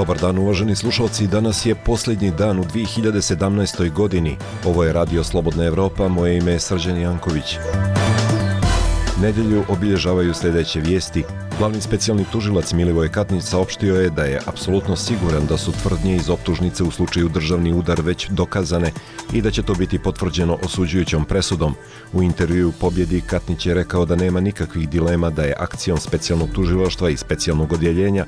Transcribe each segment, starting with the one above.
Dobar dan uvaženi slušalci, danas je posljednji dan u 2017. godini. Ovo je Radio Slobodna Evropa, moje ime je Srđan Janković. Nedjelju obilježavaju sljedeće vijesti. Glavni specijalni tužilac Milivoj Katnić saopštio je da je apsolutno siguran da su tvrdnje iz optužnice u slučaju državni udar već dokazane i da će to biti potvrđeno osuđujućom presudom. U intervjuu Pobjedi Katnić je rekao da nema nikakvih dilema da je akcijom specijalnog tužilaštva i specijalnog odjeljenja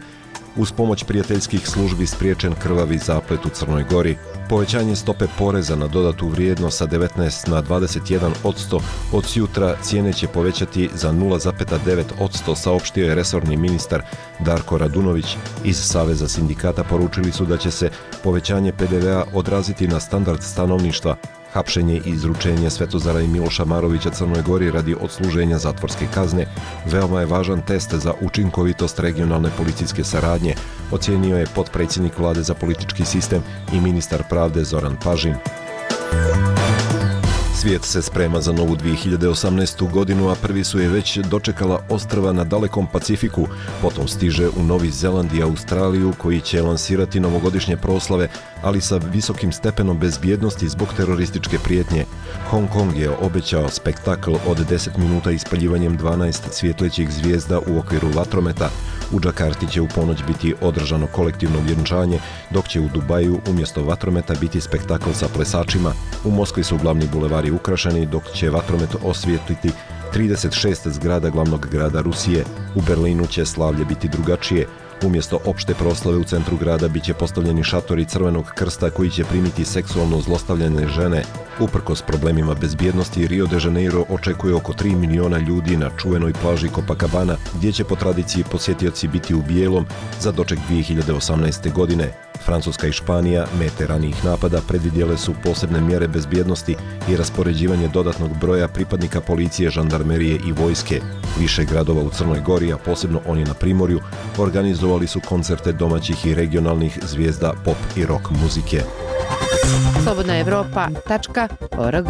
uz pomoć prijateljskih službi spriječen krvavi zaplet u Crnoj Gori. Povećanje stope poreza na dodatu vrijednost sa 19 na 21% od sutra cijene će povećati za 0,9%, saopštio je resorni ministar Darko Radunović. Iz Saveza sindikata poručili su da će se povećanje PDV-a odraziti na standard stanovništva. Hapšenje i izručenje Svetozara i Miloša Marovića Crnoj Gori radi odsluženja zatvorske kazne veoma je važan test za učinkovitost regionalne policijske saradnje, ocijenio je potpredsjednik Vlade za politički sistem i ministar pravde Zoran Pažin. Svijet se sprema za novu 2018. godinu, a prvi su je već dočekala ostrva na dalekom Pacifiku. Potom stiže u Novi Zeland i Australiju, koji će lansirati novogodišnje proslave, ali sa visokim stepenom bezbjednosti zbog terorističke prijetnje. Hong Kong je obećao spektakl od 10 minuta ispaljivanjem 12 svjetlećih zvijezda u okviru vatrometa. U Džakarti će u ponoć biti održano kolektivno vjenčanje, dok će u Dubaju umjesto vatrometa biti spektakl sa plesačima. U Moskvi su glavni bulevari ukrašeni, dok će vatromet osvijetliti 36 zgrada glavnog grada Rusije. U Berlinu će slavlje biti drugačije. Umjesto opšte proslave u centru grada bit će postavljeni šatori Crvenog krsta koji će primiti seksualno zlostavljane žene. Uprkos problemima bezbjednosti, Rio de Janeiro očekuje oko 3 miliona ljudi na čuvenoj plaži Copacabana, gdje će po tradiciji posjetioci biti u bijelom za doček 2018. godine. Francuska i Španija, mete ranijih napada, predvidjele su posebne mjere bezbjednosti i raspoređivanje dodatnog broja pripadnika policije, žandarmerije i vojske. Više gradova u Crnoj Gori, a posebno oni na Primorju, organizovali su koncerte domaćih i regionalnih zvijezda pop i rock muzike. slobodnaevropa.org.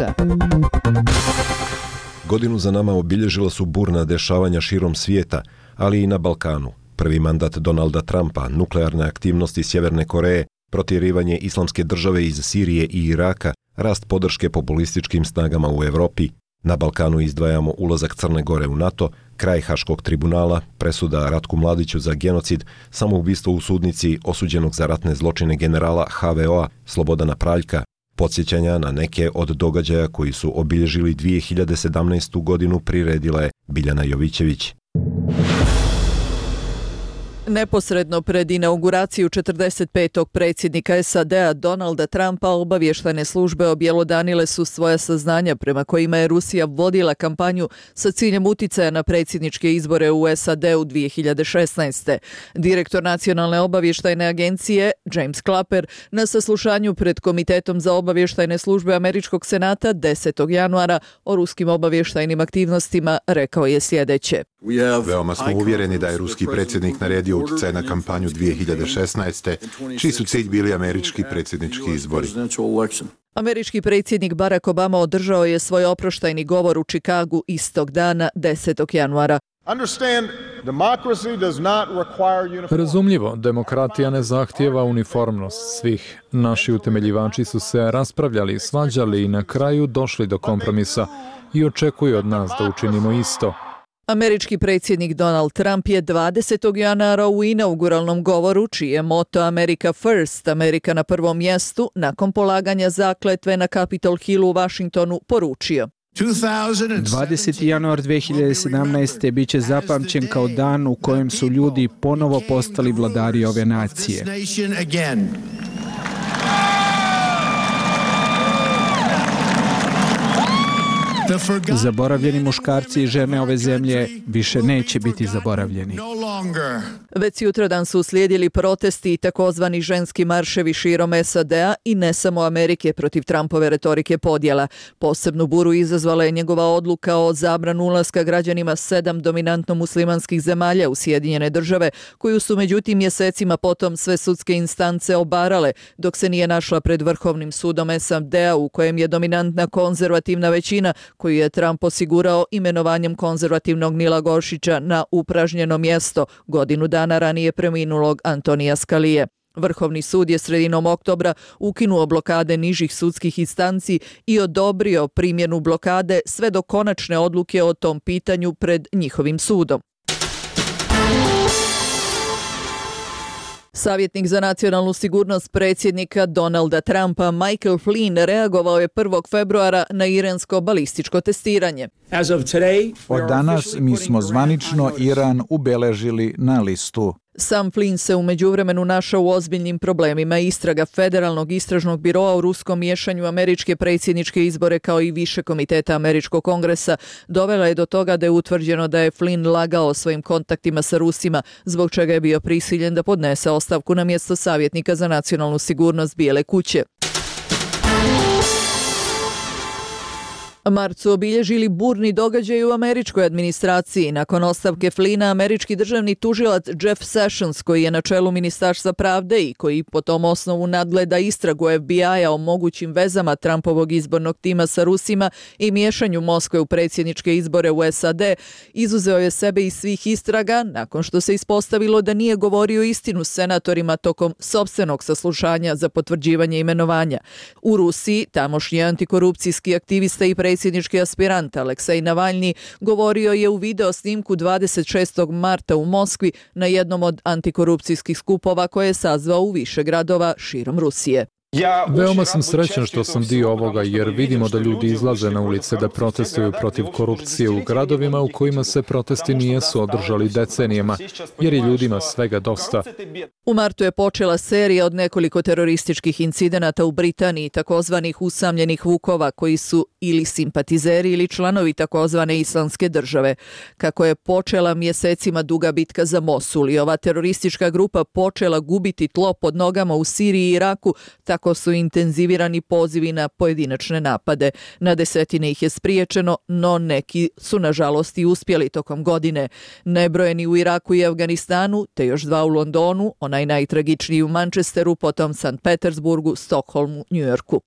Godinu za nama obilježila su burna dešavanja širom svijeta, ali i na Balkanu. Prvi mandat Donalda Trumpa, nuklearne aktivnosti Sjeverne Koreje, protjerivanje islamske države iz Sirije i Iraka, rast podrške populističkim snagama u Europi. Na Balkanu izdvajamo ulazak Crne Gore u NATO, kraj Haškog tribunala, presuda Ratku Mladiću za genocid, samoubistvo u sudnici osuđenog za ratne zločine generala HVO-a Slobodana Praljka, podsjećanja na neke od događaja koji su obilježili 2017. godinu priredila je Biljana Jovićević. Neposredno pred inauguraciju 45. predsjednika SAD-a Donalda Trumpa obavještajne službe objelodanile su svoja saznanja prema kojima je Rusija vodila kampanju sa ciljem uticaja na predsjedničke izbore u SAD-u 2016. Direktor Nacionalne obavještajne agencije James Clapper na saslušanju pred Komitetom za obavještajne službe Američkog senata 10. januara o ruskim obavještajnim aktivnostima rekao je sljedeće. Veoma smo uvjereni da je ruski predsjednik naredio utjecaj na kampanju 2016. čiji su cilj bili američki predsjednički izbori. Američki predsjednik Barack Obama održao je svoj oproštajni govor u Čikagu istog dana 10. januara. Razumljivo, demokratija ne zahtijeva uniformnost svih. Naši utemeljivači su se raspravljali, svađali i na kraju došli do kompromisa i očekuju od nas da učinimo isto. Američki predsjednik Donald Trump je 20. januara u inauguralnom govoru, čiji je moto America First, Amerika na prvom mjestu, nakon polaganja zakletve na Capitol Hillu u Washingtonu, poručio. 20. januar 2017. bit će zapamćen kao dan u kojem su ljudi ponovo postali vladari ove nacije. Zaboravljeni muškarci i žene ove zemlje više neće biti zaboravljeni. Već sutradan su uslijedili protesti i takozvani ženski marševi širom SAD-a i ne samo Amerike protiv Trumpove retorike podjela. Posebnu buru izazvala je njegova odluka o zabranu ulaska građanima 7 dominantno muslimanskih zemalja u Sjedinjene države, koju su međutim mjesecima potom sve sudske instance obarale, dok se nije našla pred Vrhovnim sudom SAD-a u kojem je dominantna konzervativna većina koju je Trump osigurao imenovanjem konzervativnog Nila Goršića na upražnjeno mjesto godinu dana ranije preminulog Antonija Scalije. Vrhovni sud je sredinom oktobra ukinuo blokade nižih sudskih instanci i odobrio primjenu blokade sve do konačne odluke o tom pitanju pred njihovim sudom. Savjetnik za nacionalnu sigurnost predsjednika Donalda Trumpa Michael Flynn reagovao je 1. februara na iransko balističko testiranje. Od danas mi smo zvanično Iran ubeležili na listu. Sam Flynn se u međuvremenu našao u ozbiljnim problemima. Istraga Federalnog istražnog biroa u ruskom miješanju američke predsjedničke izbore kao i više komiteta američkog kongresa dovela je do toga da je utvrđeno da je Flynn lagao o svojim kontaktima sa Rusima, zbog čega je bio prisiljen da podnese ostavku na mjesto savjetnika za nacionalnu sigurnost Bijele kuće. Mart su obilježili burni događaj u američkoj administraciji. Nakon ostavke Flynna, američki državni tužilac Jeff Sessions, koji je na čelu Ministarstva pravde i koji po tom osnovu nadgleda istragu FBI-a o mogućim vezama Trumpovog izbornog tima sa Rusima i miješanju Moskve u predsjedničke izbore u SAD, izuzeo je sebe iz svih istraga nakon što se ispostavilo da nije govorio istinu senatorima tokom sopstvenog saslušanja za potvrđivanje imenovanja. U Rusiji, tamošnji antikorupcijski aktivista i predsjednički aspirant Aleksej Navalni govorio je u video snimku 26. marta u Moskvi na jednom od antikorupcijskih skupova koje je sazvao u više gradova širom Rusije. Veoma sam srećan što sam dio ovoga jer vidimo da ljudi izlaze na ulice da protestuju protiv korupcije u gradovima u kojima se protesti nijesu održali decenijama, jer je ljudima svega dosta. U martu je počela serija od nekoliko terorističkih incidenata u Britaniji, takozvanih usamljenih vukova koji su ili simpatizeri ili članovi takozvane islamske države. Kako je počela mjesecima duga bitka za Mosul i ova teroristička grupa počela gubiti tlo pod nogama u Siriji i Iraku, tako su intenzivirani pozivi na pojedinačne napade. Na desetine ih je spriječeno, no neki su nažalost i uspjeli tokom godine. Nebrojeni u Iraku i Afganistanu, te još 2 u Londonu, onaj najtragičniji u Manchesteru, potom St. Petersburgu, Stokholmu, Njujorku.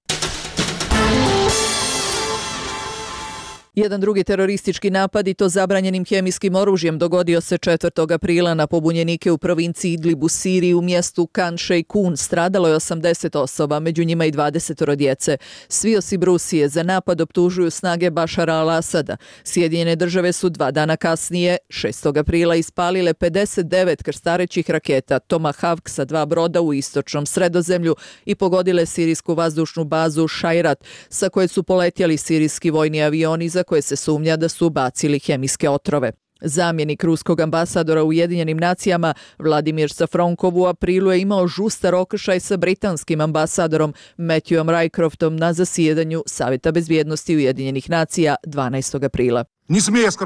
Jedan drugi teroristički napad, i to zabranjenim hemijskim oružjem, dogodio se 4. aprila na pobunjenike u provinciji Idlib u Siriji u mjestu Khan Sheikhoun. Stradalo je 80 osoba, među njima i 20 djece. Svi osim Rusije za napad optužuju snage Bašara al-Asada. Sjedinjene države su 2 dana kasnije, 6. aprila, ispalile 59 krstarećih raketa Tomahawk sa 2 broda u istočnom Sredozemlju i pogodile sirijsku vazdušnu bazu Šajrat, sa koje su poletjeli sirijski vojni avioni za koje se sumnja da su bacili hemijske otrove. Zamjenik ruskog ambasadora u Ujedinjenim nacijama Vladimir Safronkov u aprilu je imao žustar okršaj sa britanskim ambasadorom Matthewom Rycroftom na zasjedanju Savjeta bezbjednosti Ujedinjenih nacija 12. aprila.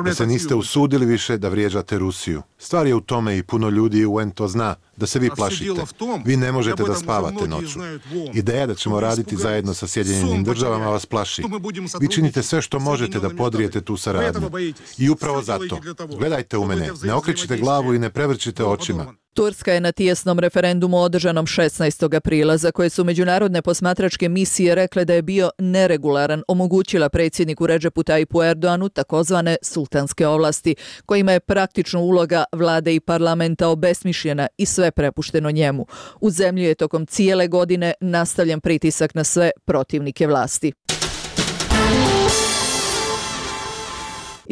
Da se niste usudili više da vrijeđate Rusiju. Stvar je u tome, i puno ljudi u UN to zna, da se vi plašite. Vi ne možete da spavate noću. Ideja da ćemo raditi zajedno sa Sjedinjenim državama vas plaši. Vi činite sve što možete da podrijete tu saradnju. I upravo zato, gledajte u mene, ne okrećite glavu i ne prevrćite očima. Turska je na tijesnom referendumu održanom 16. aprila, za koje su međunarodne posmatračke misije rekle da je bio neregularan, omogućila predsjedniku Redžepu Tajipu Erdoanu takozvane sultanske ovlasti, kojima je praktično uloga vlade i parlamenta obesmišljena i sve prepušteno njemu. U zemlji je tokom cijele godine nastavljen pritisak na sve protivnike vlasti.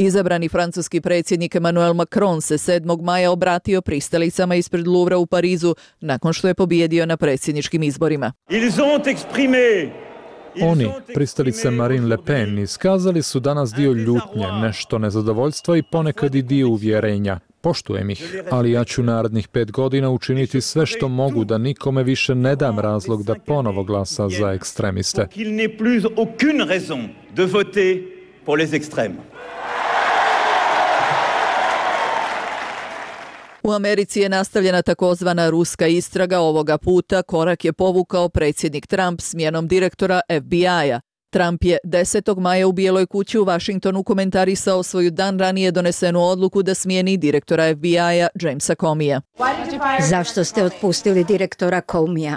Izabrani francuski predsjednik Emmanuel Macron se 7. maja obratio pristalicama ispred Louvra u Parizu nakon što je pobijedio na predsjedničkim izborima. Oni, pristalice Marine Le Pen, iskazali su danas dio ljutnje, nešto nezadovoljstva i ponekad i dio uvjerenja. Poštujem ih, ali ja ću narednih 5 godina učiniti sve što mogu da nikome više ne dam razlog da ponovo glasa za ekstremiste. U Americi je nastavljena takozvana ruska istraga. Ovoga puta korak je povukao predsjednik Trump smjenom direktora FBI-a. Trump je 10. maja u Bijeloj kući u Washingtonu komentarisao svoju dan ranije donesenu odluku da smijeni direktora FBI-a Jamesa Comeyja. Zašto ste otpustili direktora Comeyja?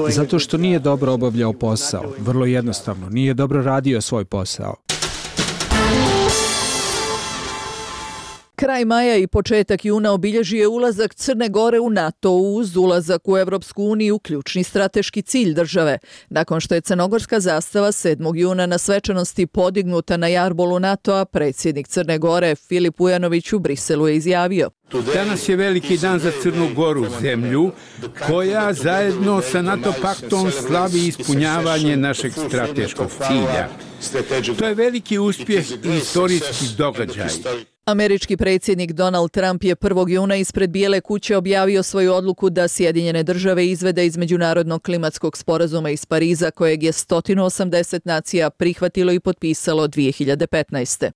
Zato što nije dobro obavljao posao. Vrlo jednostavno, nije dobro radio svoj posao. Kraj maja i početak juna obilježio ulazak Crne Gore u NATO uz ulazak u Evropsku uniju, ključni strateški cilj države. Nakon što je crnogorska zastava 7. juna na svečanosti podignuta na jarbolu NATO-a, predsjednik Crne Gore Filip Vujanović u Briselu je izjavio: Danas je veliki dan za Crnu Goru, zemlju koja zajedno sa NATO paktom slavi ispunjavanje našeg strateškog cilja. To je veliki uspjeh i istorijski događaj. Američki predsjednik Donald Trump je 1. juna ispred Bijele kuće objavio svoju odluku da Sjedinjene države izvede iz Međunarodnog klimatskog sporazuma iz Pariza, kojeg je 180 nacija prihvatilo i potpisalo 2015.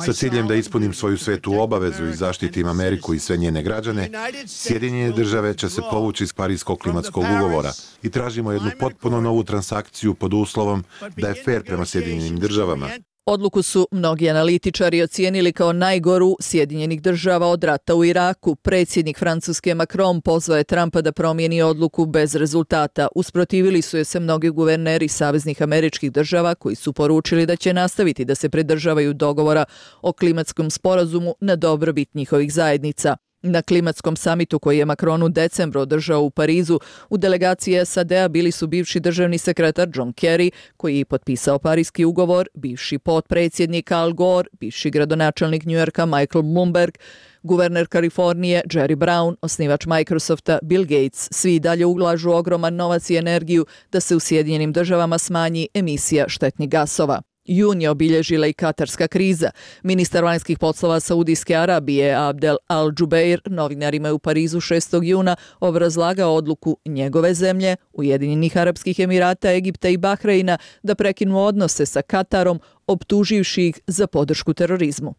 Sa ciljem da ispunim svoju svetu obavezu i zaštitim Ameriku i sve njene građane, Sjedinjene države će se povući iz Parijskog klimatskog ugovora i tražimo jednu potpuno novu transakciju pod uslovom da je fer prema Sjedinjenim državama. Odluku su mnogi analitičari ocijenili kao najgoru Sjedinjenih država od rata u Iraku. Predsjednik Francuske Macron pozvao je Trumpa da promijeni odluku bez rezultata. Usprotivili su je se mnogi guverneri saveznih američkih država koji su poručili da će nastaviti da se pridržavaju dogovora o klimatskom sporazumu na dobrobit njihovih zajednica. Na klimatskom samitu koji je Macron u decembru održao u Parizu, u delegaciji SAD-a bili su bivši državni sekretar John Kerry, koji je potpisao Parijski ugovor, bivši potpredsjednik Al Gore, bivši gradonačelnik Njujorka Michael Bloomberg, guverner Kalifornije Jerry Brown, osnivač Microsofta Bill Gates. Svi dalje ulažu ogroman novac i energiju da se u Sjedinjenim državama smanji emisija štetnih gasova. Jun je obilježila i katarska kriza. Ministar vanjskih poslova Saudijske Arabije Abdel Al-Jubeir novinarima je u Parizu 6. juna obrazlagao odluku njegove zemlje, Ujedinjenih Arapskih Emirata, Egipta i Bahreina da prekinu odnose sa Katarom, optuživši ih za podršku terorizmu.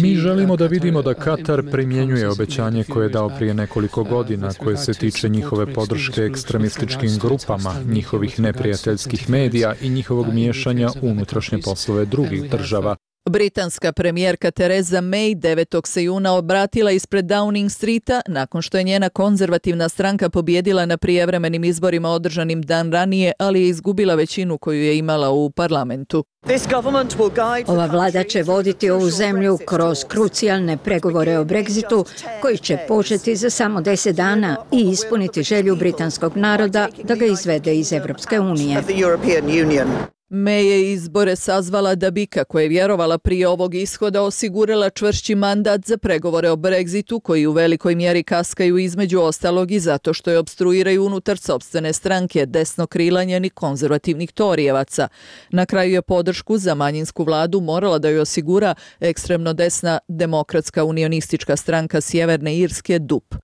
Mi želimo da vidimo da Katar primjenjuje obećanje koje je dao prije nekoliko godina, koje se tiče njihove podrške ekstremističkim grupama, njihovih neprijateljskih medija i njihovog miješanja u unutrašnje poslove drugih država. Britanska premijerka Theresa May 9. se juna obratila ispred Downing Streeta nakon što je njena konzervativna stranka pobjedila na prijevremenim izborima održanim dan ranije, ali je izgubila većinu koju je imala u parlamentu. Ova vlada će voditi ovu zemlju kroz krucijalne pregovore o Brexitu koji će početi za samo 10 dana i ispuniti želju britanskog naroda da ga izvede iz Evropske unije. May je izbore sazvala da bi, kako je vjerovala prije ovog ishoda, osigurala čvršći mandat za pregovore o Brexitu, koji u velikoj mjeri kaskaju između ostalog i zato što je opstruiraju unutar sopstvene stranke desnokrilanjenih konzervativnih torijevaca. Na kraju je podršku za manjinsku vladu morala da joj osigura ekstremno desna demokratska unionistička stranka Sjeverne Irske DUP.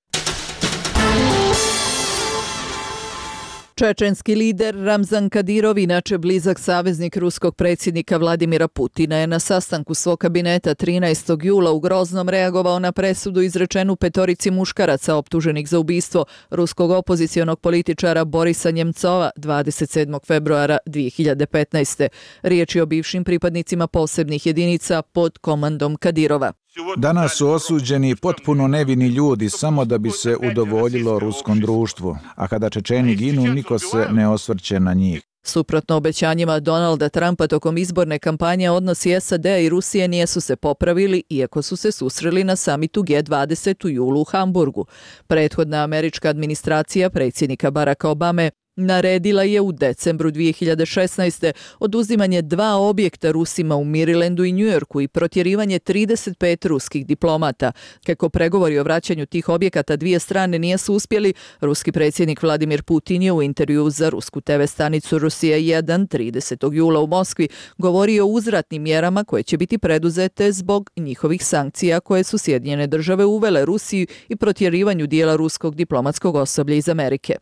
Čečenski lider Ramzan Kadirov, inače blizak saveznik ruskog predsjednika Vladimira Putina, je na sastanku svog kabineta 13. jula u Groznom reagovao na presudu izrečenu 5 muškaraca optuženih za ubistvo ruskog opozicionog političara Borisa Njemcova 27. februara 2015. Riječ je o bivšim pripadnicima posebnih jedinica pod komandom Kadirova. Danas su osuđeni potpuno nevini ljudi samo da bi se udovoljilo ruskom društvu, a kada Čečeni ginu, niko se ne osvrće na njih. Suprotno obećanjima Donalda Trumpa tokom izborne kampanje, odnosi SAD-a i Rusije nisu se popravili, iako su se susreli na samitu G20 u julu u Hamburgu. Prethodna američka administracija predsjednika Baracka Obame naredila je u decembru 2016. oduzimanje 2 objekta Rusima u Marylandu i Njujorku i protjerivanje 35 ruskih diplomata. Kako pregovori o vraćanju tih objekata dvije strane nisu uspjeli, ruski predsjednik Vladimir Putin je u intervjuu za rusku TV stanicu Rusija 1 30. jula u Moskvi govorio o uzvratnim mjerama koje će biti preduzete zbog njihovih sankcija koje su Sjedinjene države uvele Rusiji i protjerivanju dijela ruskog diplomatskog osoblja iz Amerike.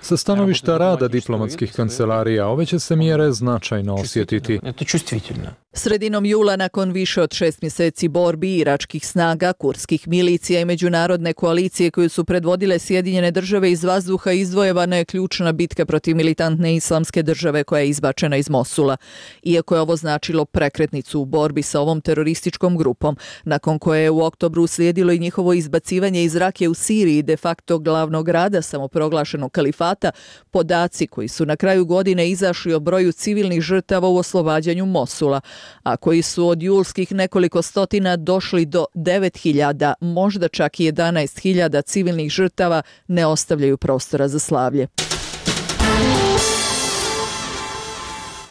Sa stanovišta rada diplomatskih kancelarija ove će se mjere značajno osjetiti. Sredinom jula, nakon više od 6 mjeseci borbi iračkih snaga, kurdskih milicija i međunarodne koalicije koju su predvodile Sjedinjene države, iz vazduha izdvojevana je ključna bitka protiv militantne islamske države koja je izbačena iz Mosula. Iako je ovo značilo prekretnicu u borbi sa ovom terorističkom grupom, nakon koje je u oktobru slijedilo i njihovo izbacivanje iz Rake u Siriji, de facto glavnog grada samoproglašenog kalifata, podaci koji su na kraju godine izašli o broju civilnih žrtava u oslobađanju Mosula a koji su od julskih nekoliko stotina došli do 9.000, možda čak i 11.000 civilnih žrtava, ne ostavljaju prostora za slavlje.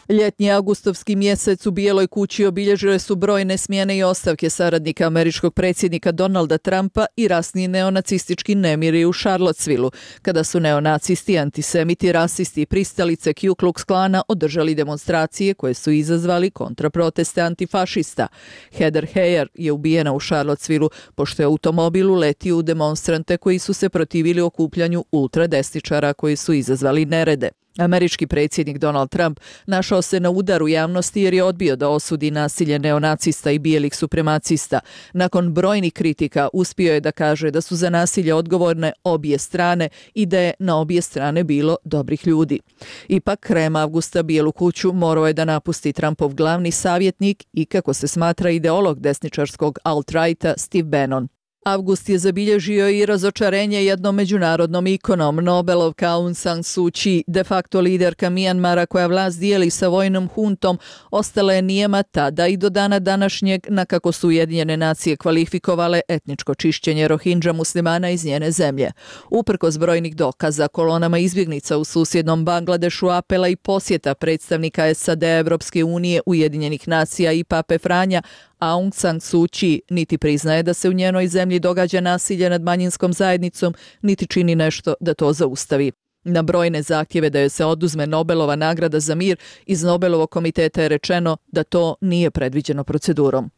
Ljetnji avgustovski mjesec u Bijeloj kući obilježile su brojne smjene i ostavke saradnika američkog predsjednika Donalda Trumpa i rasni neonacistički nemiri u Charlottesvilleu, kada su neonacisti, antisemiti, rasisti i pristalice Ku Klux Klana održali demonstracije koje su izazvali kontraproteste antifašista. Heather Heyer je ubijena u Charlottesvilleu pošto je automobil uletio u demonstrante koji su se protivili okupljanju ultradesničara koji su izazvali nerede. Američki predsjednik Donald Trump našao se na udaru javnosti jer je odbio da osudi nasilje neonacista i bijelih supremacista. Nakon brojnih kritika uspio je da kaže da su za nasilje odgovorne obje strane i da je na obje strane bilo dobrih ljudi. Ipak, krajem avgusta Bijelu kuću morao je da napusti Trumpov glavni savjetnik i, kako se smatra, ideolog desničarskog alt-righta Steve Bannon. Avgust je zabilježio i razočarenje jednom međunarodnom ikonom. Nobelovka Aung San Suu Kyi, de facto liderka Mijanmara koja vlast dijeli sa vojnom huntom, ostala je nijema tada i do dana današnjeg, na kako su Ujedinjene nacije kvalifikovale etničko čišćenje Rohingya muslimana iz njene zemlje. Uprkos brojnih dokaza, kolonama izbjegnica u susjednom Bangladešu, apela i posjeta predstavnika SAD, Evropske unije, Ujedinjenih nacija i Pape Franja, Aung San Suu Kyi niti priznaje da se u njenoj zemlji događa nasilje nad manjinskom zajednicom, niti čini nešto da to zaustavi. Na brojne zahtjeve da joj se oduzme Nobelova nagrada za mir, iz Nobelovog komiteta je rečeno da to nije predviđeno procedurom.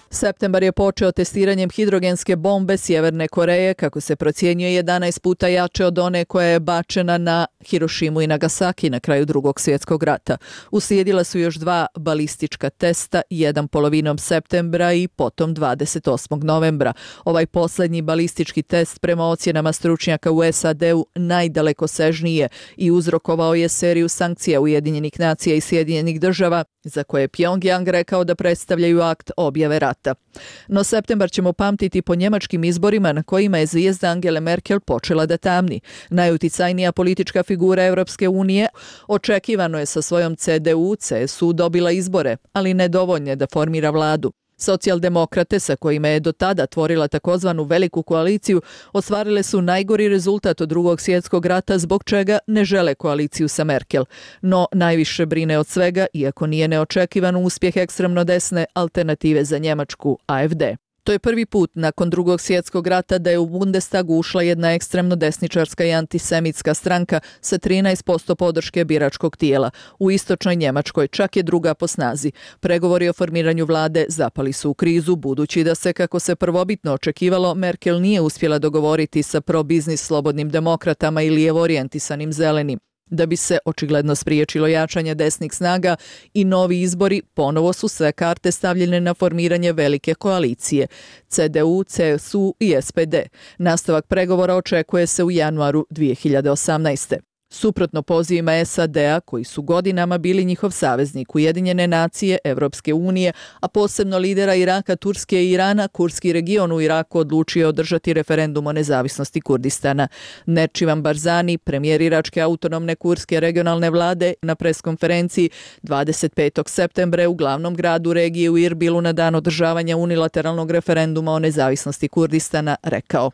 Septembar je počeo testiranjem hidrogenske bombe Sjeverne Koreje, kako se procjenjuje 11 puta jače od one koja je bačena na Hirošimu i Nagasaki na kraju Drugog svjetskog rata. Uslijedila su još 2 balistička testa, jedan polovinom septembra i potom 28. novembra. Ovaj posljednji balistički test prema ocjenama stručnjaka u SAD-u najdalekosežniji je i uzrokovao je seriju sankcija Ujedinjenih nacija i Sjedinjenih država, za koje je Pyongyang rekao da predstavljaju akt objave rata. No septembar ćemo pamtiti po njemačkim izborima na kojima je zvijezda Angele Merkel počela da tamni. Najuticajnija politička figura Europske unije očekivano je sa svojom CDU-CSU dobila izbore, ali nedovoljne da formira vladu. Socijaldemokrate, sa kojima je do tada tvorila takozvanu veliku koaliciju, ostvarile su najgori rezultat od Drugog svjetskog rata, zbog čega ne žele koaliciju sa Merkel. No najviše brine od svega, iako nije neočekivan uspjeh ekstremno desne Alternative za Njemačku, AfD. To je prvi put nakon Drugog svjetskog rata da je u Bundestagu ušla jedna ekstremno desničarska i antisemitska stranka sa 13% podrške biračkog tijela. U istočnoj Njemačkoj čak je druga po snazi. Pregovori o formiranju vlade zapali su u krizu, budući da se, kako se prvobitno očekivalo, Merkel nije uspjela dogovoriti sa pro-biznis slobodnim demokratama i lijevo orijentisanim zelenim. Da bi se očigledno spriječilo jačanje desnih snaga i novi izbori, ponovo su sve karte stavljene na formiranje velike koalicije CDU, CSU i SPD. Nastavak pregovora očekuje se u januaru 2018. Suprotno pozivima SAD-a, koji su godinama bili njihov saveznik, Ujedinjene nacije, Evropske unije, a posebno lidera Iraka, Turske i Irana, kurdski region u Iraku odlučio održati referendum o nezavisnosti Kurdistana. Nečivan Barzani, premijer iračke autonomne kurdske regionalne vlade, na preskonferenciji 25. septembra u glavnom gradu regije u Irbilu na dan održavanja unilateralnog referenduma o nezavisnosti Kurdistana rekao: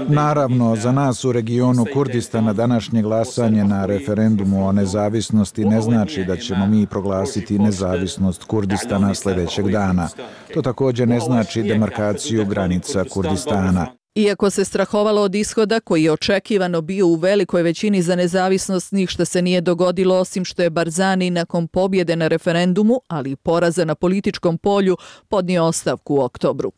Naravno, za nas u regionu Kurdistana današnje glasanje na referendumu o nezavisnosti ne znači da ćemo mi proglasiti nezavisnost Kurdistana sljedećeg dana. To također ne znači demarkaciju granica Kurdistana. Iako se strahovalo od ishoda koji je očekivano bio u velikoj većini za nezavisnost, ništa se nije dogodilo osim što je Barzani nakon pobjede na referendumu, ali i poraza na političkom polju, podnio ostavku u oktobru.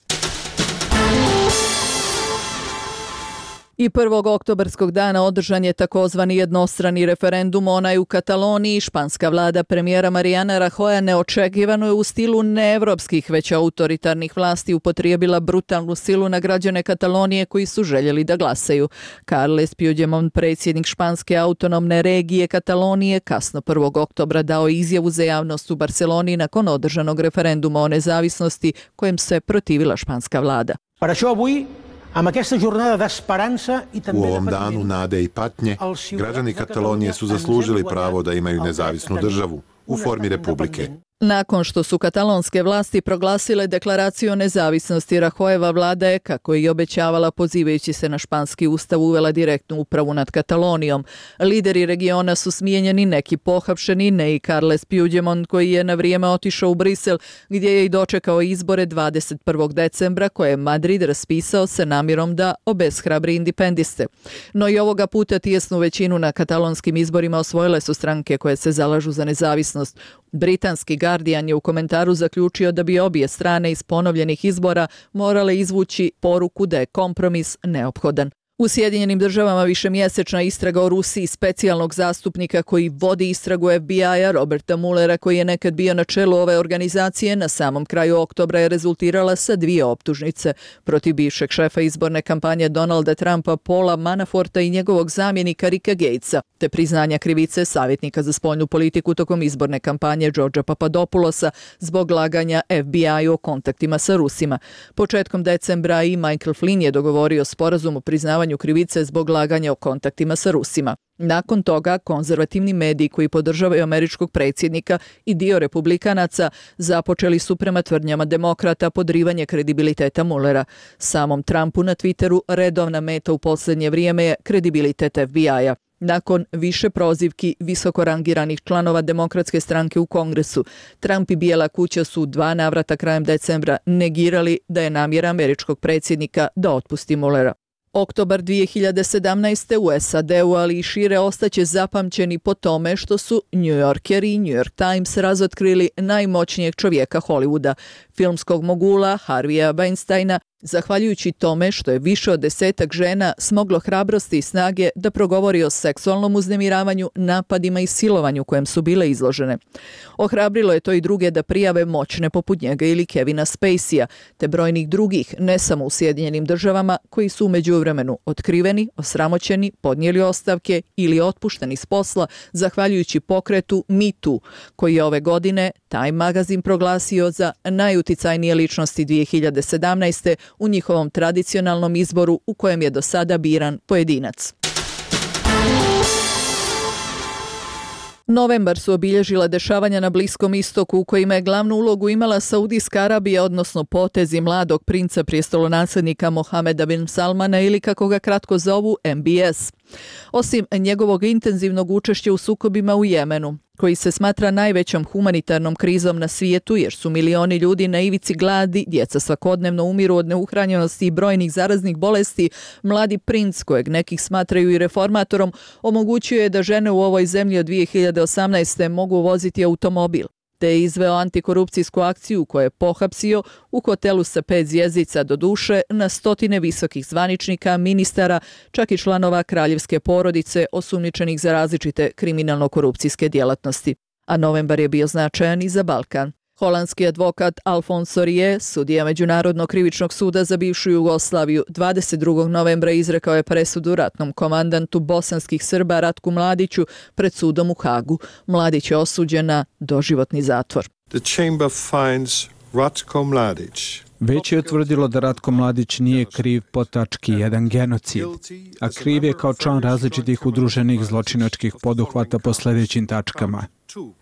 I 1. oktobarskog dana održan je takozvani jednostrani referendum, onaj u Kataloniji. Španska vlada premijera Mariana Rajoya neočekivano je u stilu neevropskih već autoritarnih vlasti upotrijebila brutalnu silu na građane Katalonije koji su željeli da glasaju. Carles Puigdemont, predsjednik španske autonomne regije Katalonije, kasno 1. oktobra dao izjavu za javnost u Barceloni nakon održanog referenduma o nezavisnosti kojem se protivila španska vlada. U ovom danu nade i patnje, građani Katalonije su zaslužili pravo da imaju nezavisnu državu u formi republike. Nakon što su katalonske vlasti proglasile deklaraciju o nezavisnosti, Rahojeva vlada je, kako je i obećavala pozivajući se na španski ustav, uvela direktnu upravu nad Katalonijom. Lideri regiona su smijenjeni, neki pohapšeni, ne i Carles Puigdemont koji je na vrijeme otišao u Brisel gdje je i dočekao izbore 21. decembra koje je Madrid raspisao sa namjerom da obeshrabri independiste. No i ovoga puta tijesnu većinu na katalonskim izborima osvojile su stranke koje se zalažu za nezavisnost. Britanski Guardian je u komentaru zaključio da bi obje strane iz ponovljenih izbora morale izvući poruku da je kompromis neophodan. U Sjedinjenim državama višemjesečna istraga o Rusiji specijalnog zastupnika koji vodi istragu FBI-a Roberta Muellera, koji je nekad bio na čelu ove organizacije, na samom kraju oktobra je rezultirala sa 2 optužnice protiv bivšeg šefa izborne kampanje Donalda Trumpa Paula Manaforta i njegovog zamjenika Ricka Gatesa, te priznanja krivice savjetnika za spoljnu politiku tokom izborne kampanje Georgea Papadopoulosa zbog laganja FBI-u o kontaktima sa Rusima. Početkom decembra i Michael Flynn je dogovorio sporazum o priznavanju krivice zbog laganja o kontaktima sa Rusima. Nakon toga, konzervativni mediji koji podržavaju američkog predsjednika i dio republikanaca započeli su prema tvrdnjama demokrata podrivanje kredibiliteta Muellera. Samom Trumpu na Twitteru redovna meta u posljednje vrijeme je kredibilitet FBI-a. Nakon više prozivki visoko rangiranih članova demokratske stranke u Kongresu, Trump i Bijela kuća su 2 navrata krajem decembra negirali da je namjera američkog predsjednika da otpusti Muellera. Oktobar 2017. u SAD-u, ali i šire, ostaće zapamćeni po tome što su New Yorker i New York Times razotkrili najmoćnijeg čovjeka Hollywooda, filmskog mogula Harvija Weinsteina, zahvaljujući tome što je više od 10 žena smoglo hrabrosti i snage da progovori o seksualnom uznemiravanju, napadima i silovanju kojem su bile izložene. Ohrabrilo je to i druge da prijave moćne poput njega ili Kevina Spacey-a, te brojnih drugih, ne samo u Sjedinjenim državama, koji su u međuvremenu otkriveni, osramoćeni, podnijeli ostavke ili otpušteni s posla zahvaljujući pokretu Me Too, koji je ove godine Time magazin proglasio za najuticajnije ličnosti 2017. u njihovom tradicionalnom izboru u kojem je do sada biran pojedinac. Novembar su obilježila dešavanja na Bliskom istoku u kojima je glavnu ulogu imala Saudijska Arabija, odnosno potezi mladog princa prijestolonaslednika Mohameda bin Salmana ili kako ga kratko zovu MBS. Osim njegovog intenzivnog učešća u sukobima u Jemenu, koji se smatra najvećom humanitarnom krizom na svijetu jer su milioni ljudi na ivici gladi, djeca svakodnevno umiru od neuhranjenosti i brojnih zaraznih bolesti, mladi princ, kojeg nekih smatraju i reformatorom, omogućio je da žene u ovoj zemlji od 2018. mogu voziti automobil, te je izveo antikorupcijsku akciju koju je pohapsio u hotelu sa 5 zvjezdica, do duše na stotine visokih zvaničnika, ministara, čak i članova kraljevske porodice osumnjičenih za različite kriminalno-korupcijske djelatnosti. A novembar je bio značajan i za Balkan. Holandski advokat Alfonso Rie, sudija Međunarodnog krivičnog suda za bivšu Jugoslaviju, 22. novembra izrekao je presudu ratnom komandantu bosanskih Srba Ratku Mladiću pred sudom u Hagu. Mladić je osuđen na doživotni zatvor. The chamber finds Ratko Mladić. Već je utvrdilo da Ratko Mladić nije kriv po tački 1 genocid, a kriv je kao član različitih udruženih zločinačkih poduhvata po sljedećim tačkama.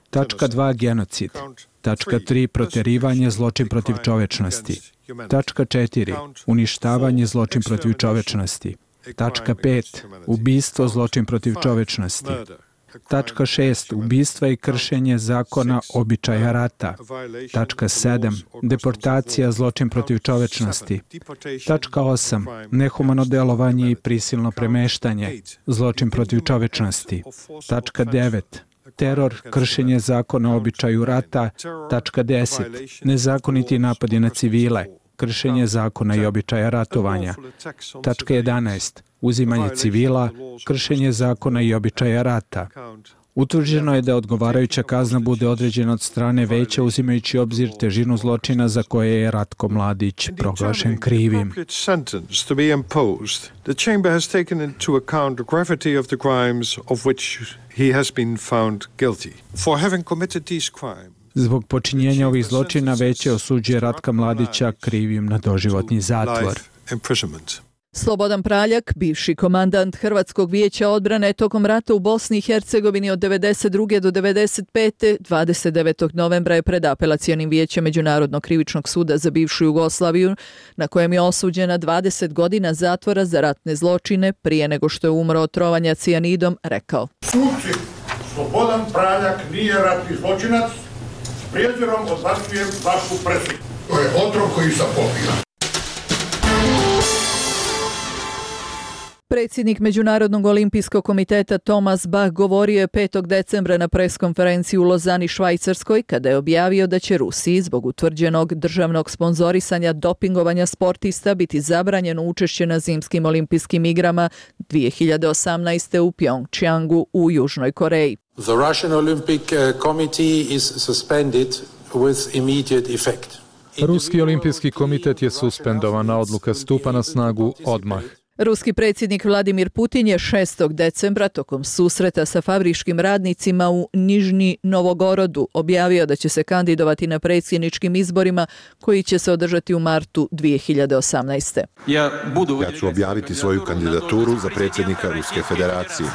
Tačka 2 genocid. Tačka 3 protjerivanje, zločin protiv čovečnosti. Tačka 4 uništavanje, zločin protiv čovečnosti. Tačka 5 ubistvo, zločin protiv čovečnosti. Tačka 6 ubistva i kršenje zakona običaja rata. Tačka 7 deportacija, zločin protiv čovečnosti. Tačka 8 nehumano delovanje i prisilno premeštanje, zločin protiv čovečnosti. Tačka 9 teror, kršenje zakona o običaju rata. Tačka 10 nezakoniti napadi na civile, kršenje zakona i običaja ratovanja. Tačka 11 uzimanje civila, kršenje zakona i običaja rata. Utvrđeno je da odgovarajuća kazna bude određena od strane veća uzimajući obzir težinu zločina za koje je Ratko Mladić proglašen krivim. The chamber has taken into account the gravity of the crimes of which he has been found guilty. For having committed these crimes, zbog počinjenja ovih zločina veće osuđuje Ratka Mladića krivim na doživotni zatvor. Slobodan Praljak, bivši komandant Hrvatskog vijeća odbrane tokom rata u Bosni i Hercegovini od 1992. do 1995. 29. novembra je pred apelacionim vijećem Međunarodnog krivičnog suda za bivšu Jugoslaviju, na kojem je osuđen na 20 godina zatvora za ratne zločine prije nego što je umro od trovanja cijanidom, rekao: Suci, Slobodan Praljak nije ratni zločinac, s prijezirom odbacujem vašu presudu. To je otrov koji sam popio. Predsjednik Međunarodnog olimpijskog komiteta Thomas Bach govorio je 5. decembra na preskonferenciji u Lozani, Švajcarskoj, kada je objavio da će Rusiji zbog utvrđenog državnog sponzorisanja dopingovanja sportista biti zabranjeno učešće na zimskim olimpijskim igrama 2018. u Pyeongchangu u Južnoj Koreji. The Russian Olympic Committee is suspended with immediate effect. Ruski olimpijski komitet je suspendovan, a odluka stupa na snagu odmah. Ruski predsjednik Vladimir Putin je 6. decembra tokom susreta sa fabričkim radnicima u Nižni Novogorodu objavio da će se kandidovati na predsjedničkim izborima koji će se održati u martu 2018. Ja ću objaviti svoju kandidaturu za predsjednika Ruske federacije.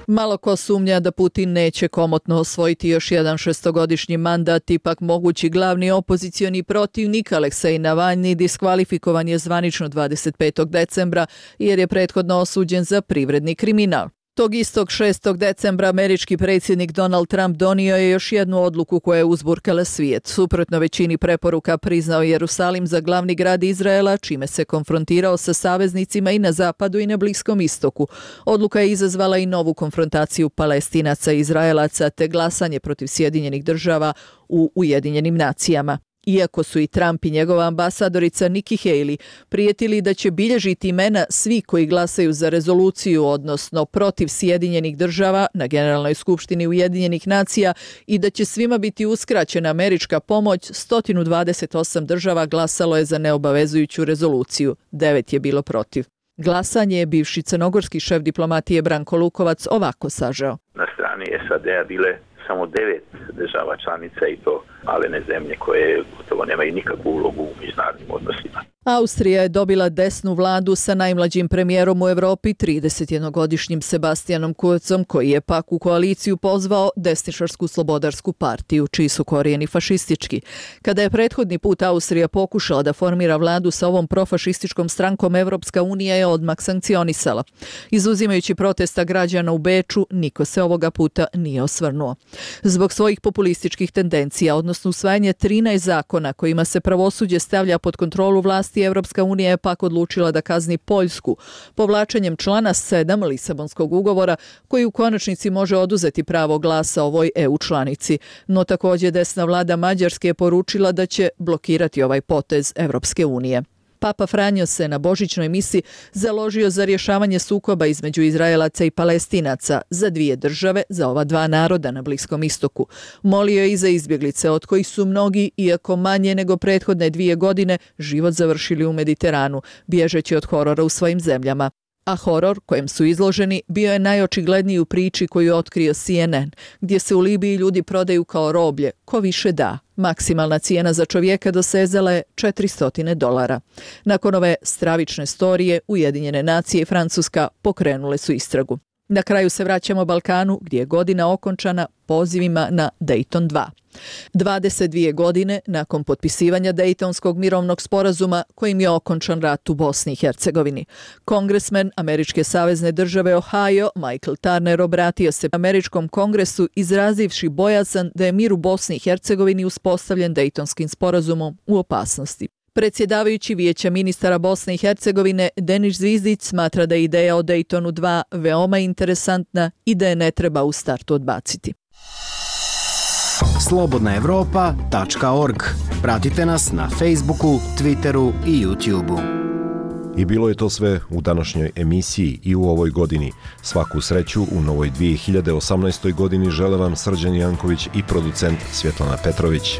Malo ko sumnja da Putin neće komotno osvojiti još jedan šestogodišnji mandat, ipak mogući glavni opozicioni protivnik Aleksej Navalni diskvalifikovan je zvanično 25. decembra jer je prethodno osuđen za privredni kriminal. Tog istog 6. decembra američki predsjednik Donald Trump donio je još jednu odluku koja je uzburkala svijet. Suprotno većini preporuka priznao Jerusalim za glavni grad Izraela, čime se konfrontirao sa saveznicima i na zapadu i na Bliskom istoku. Odluka je izazvala i novu konfrontaciju Palestinaca i Izraelaca te glasanje protiv Sjedinjenih država u Ujedinjenim nacijama. Iako su i Trump i njegova ambasadorica Nikki Haley prijetili da će bilježiti imena svi koji glasaju za rezoluciju, odnosno protiv Sjedinjenih država na Generalnoj skupštini Ujedinjenih nacija i da će svima biti uskraćena američka pomoć, 128 država glasalo je za neobavezujuću rezoluciju, 9 je bilo protiv. Glasanje je bivši crnogorski šef diplomatije Branko Lukovac ovako sažeo. Na strani SAD-a bile samo 9 država članica i to malene zemlje koje gotovo nemaju nikakvu ulogu u međunarodnim odnosima. Austrija je dobila desnu vladu sa najmlađim premijerom u Europi, 31-godišnjim Sebastianom Kurzom, koji je pak u koaliciju pozvao desničarsku slobodarsku partiju, čiji su korijeni fašistički. Kada je prethodni put Austrija pokušala da formira vladu sa ovom profašističkom strankom, Evropska unija je odmah sankcionisala. Izuzimajući protesta građana u Beču, niko se ovoga puta nije osvrnuo. Zbog svojih populističkih tendencija, odnosno usvajanje 13 zakona kojima se pravosuđe stavlja pod kontrolu vlasti, Evropska unija je pak odlučila da kazni Poljsku povlačenjem člana 7 Lisabonskog ugovora, koji u konačnici može oduzeti pravo glasa ovoj EU članici. No također desna vlada Mađarske je poručila da će blokirati ovaj potez Evropske unije. Papa Franjo se na božićnoj misi založio za rješavanje sukoba između Izraelaca i Palestinaca, za dvije države, za ova dva naroda na Bliskom istoku. Molio je i za izbjeglice, od kojih su mnogi, iako manje nego prethodne 2 godine, život završili u Mediteranu, bježeći od horora u svojim zemljama. A horor kojem su izloženi bio je najočigledniji u priči koju je otkrio CNN, gdje se u Libiji ljudi prodaju kao roblje, ko više da. Maksimalna cijena za čovjeka dosezala je $400. Nakon ove stravične storije, Ujedinjene nacije i Francuska pokrenule su istragu. Na kraju se vraćamo Balkanu, gdje je godina okončana pozivima na Dayton 2. 22 godine nakon potpisivanja Dejtonskog mirovnog sporazuma kojim je okončan rat u Bosni i Hercegovini. Kongresmen američke savezne države Ohio, Michael Turner, obratio se američkom kongresu izrazivši bojazan da je mir u Bosni i Hercegovini uspostavljen Dejtonskim sporazumom u opasnosti. Predsjedavajući Vijeća ministara Bosne i Hercegovine Denis Zvizdić smatra da je ideja o Daytonu 2 veoma interesantna i da je ne treba u startu odbaciti. Slobodnaevropa.org. Pratite nas na Facebooku, Twitteru i YouTubeu. I bilo je to sve u današnjoj emisiji i u ovoj godini. Svaku sreću u novoj 2018. godini žele vam Srđan Janković i producent Svjetlana Petrović.